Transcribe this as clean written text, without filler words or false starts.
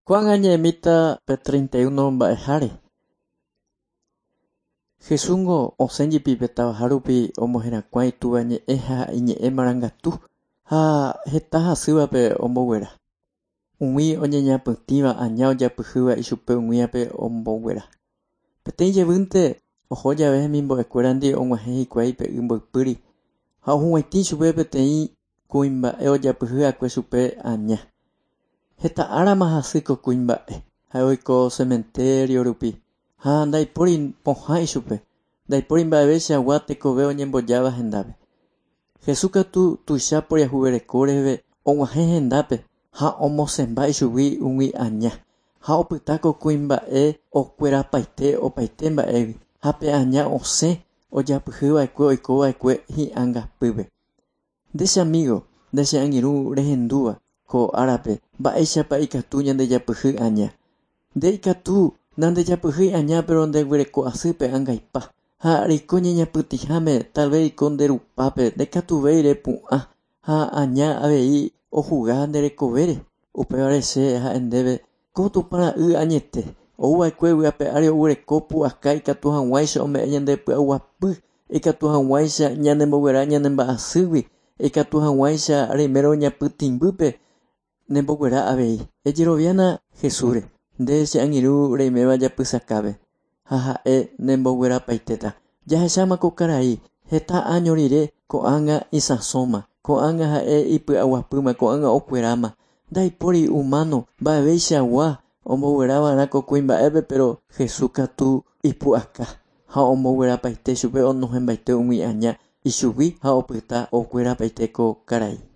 Ko'ág̃a ñaimíta pe 31 mba'eháre. Jesúsngo osẽ jepi pe tavaha rupi omoherakuã Itúva ñe'ẽ ha iñe'ẽ marangatu ha heta hasývape omboguera. Umi oñeñapytĩva aña ojapyhýva ichupe umívape omboguera. Peteĩ jevýnte oho jave hemimbo'ekuérandi og̃uahẽ hikuái pe y mboypýri ha ohug̃uaitĩ chupe peteĩ kuimba'e ojapyhy'akue chupe aña. Heta árama hasy ko kuimba'e, ha'e oiko cementerio rupi ha ndaipóri pohã ichupe, ndaipóri mba'eveichagua tekove oñembojáva hendápe. Jesús katu tuicha poriahuvereko reheve og̃uahẽ hendápe ha omosẽmba ichugui umi aña ha opyta ko kuimba'e okuerapaite opaite mba'égui ha pe aña osẽ ojapyhyva'ekue oikova'ekue hi'angapýpe. Nde che amigo, nde che angirũ rehendúva ko árape mba'éichapa ikatu ñandejapyhy aña. Nde ikatu nandejapyhýi aña pero ndeguereko asy pe angaipa ha reiko ñeñapytĩháme tal vez reiko nde rupápe ndaikatuvéi repu'ã ha aña avei ohuga nde rekovére. Upévare che ha'e ndéve ko Tupã ra'y añete ouva'ekue vy'ape ári oguereko pu'aka ikatu hag̃uáicha ome'ẽ ñande py'aguapy, ikatu hag̃uáicha ñanemboguera ñanemba'asýgui, ikatu hag̃uáicha reimérõ ñapytĩmbýpe nemboguera avei. Ejeroviána Jesúsre, nde che angirũ reiméva japysakápe ha ha'e nemboguerapaitéta. Jahecháma ko karai heta áño rire ko'ág̃a isãsóma, ko'ág̃a ha'e ipy'aguapýma, ko'ág̃a okueráma. Ndaipóri humano mba'eveichagua omboguerava'erã ko kuimba'épe pero Jesús katu ipu'aka ha omboguerapaite chupe onohẽmbaite umi aña ichugui ha opyta okuerapaite ko karai.